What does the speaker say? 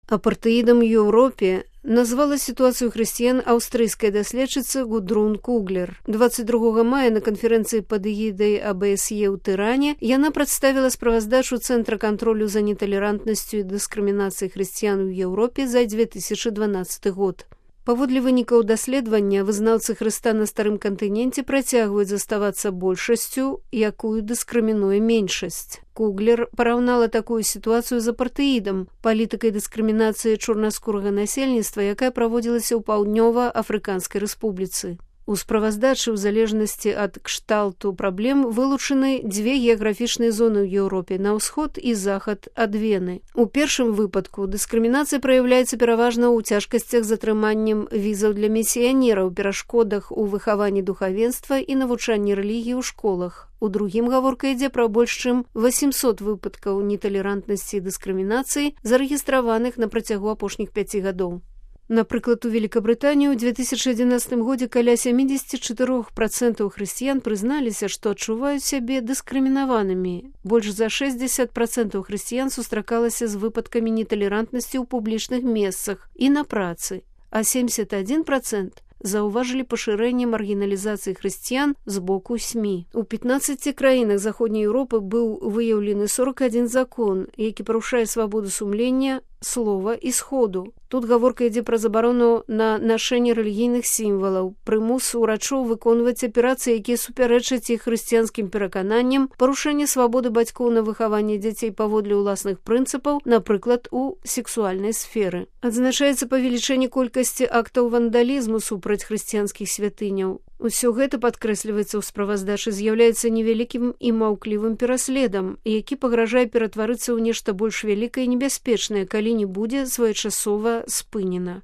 Апартэідам у Еўропе назвала сітуацыю хрысціян аўстрыйская даследчыца Гудрун Куглер. 22 мая на канферэнцыі пад эгідай АБСЕ ў Тыране яна прадставіла справаздачу Цэнтра кантролю за неталерантнасцю і дыскрымінацыяй хрысціян у Еўропе за 2012 год. Паводле вынікаў даследавання, вызнаўцы Хрыста на старым кантыненце працягваюць заставацца большасцю, якую дыскрымінуе меншасць. Куглер параўнала такую сітуацыю з апартэідам, палітыкай дыскрымінацыі чорнаскурага насельніцтва, якая праводзілася ў Паўднёва-Афрыканскай рэспубліцы. У справаздачы ў залежнасці ад кшталту праблем вылучаны дзве геаграфічныя зоны ў Еўропе на ўсход і захад ад Вены. У першым выпадку дыскрымінацыя праяўляецца пераважна ў цяжкасцях з атрыманнем візаў для місіянераў, перашкодах у выхаванні духавенства і навучанні рэлігіі ў школах. У другім гаворка ідзе пра больш чым 800 выпадкаў неталерантнасці і дыскрымінацыі, зарэгістраваных на працягу апошніх 5 гадоў. Напрыклад, у Великабрытанію ў 2011 годзе каля 74% хрысціян прызналіся, што адчуваюць сябе дыскрымінаванымі. Больш за 60% хрысціян сустракалася з выпадкамі неталерантнасці ў публічных месцах і на працы, а 71% заўважылі пашырэнне маргіналізацыі хрысціян з боку СМІ. У 15 краінах Заходняй Еўропы быў выяўлены 41 закон, які парушае свабоду сумлення, слова і сходу. Тут гаворка ідзе пра забарону на нашэнне рэлігійных сімвалаў, прымус урачоў выконваць аперацыі, якія супярэчаць іх хрысціянскім перакананням, парушэнне свабоды бацькоў на выхаванне дзяцей паводле ўласных прынцыпаў, напрыклад, у сексуальнай сферы. Адзначаецца павелічэнне колькасці актаў вандалізму супраць хрысціянскіх святыняў. Усё гэта, падкрэсліваецца ў справаздачы, з'яўляецца невялікім і маўклівым пераследам, які пагражае ператварыцца ў нешта больш вялікае і небяспечнае, калі не будзе своечасова спынена.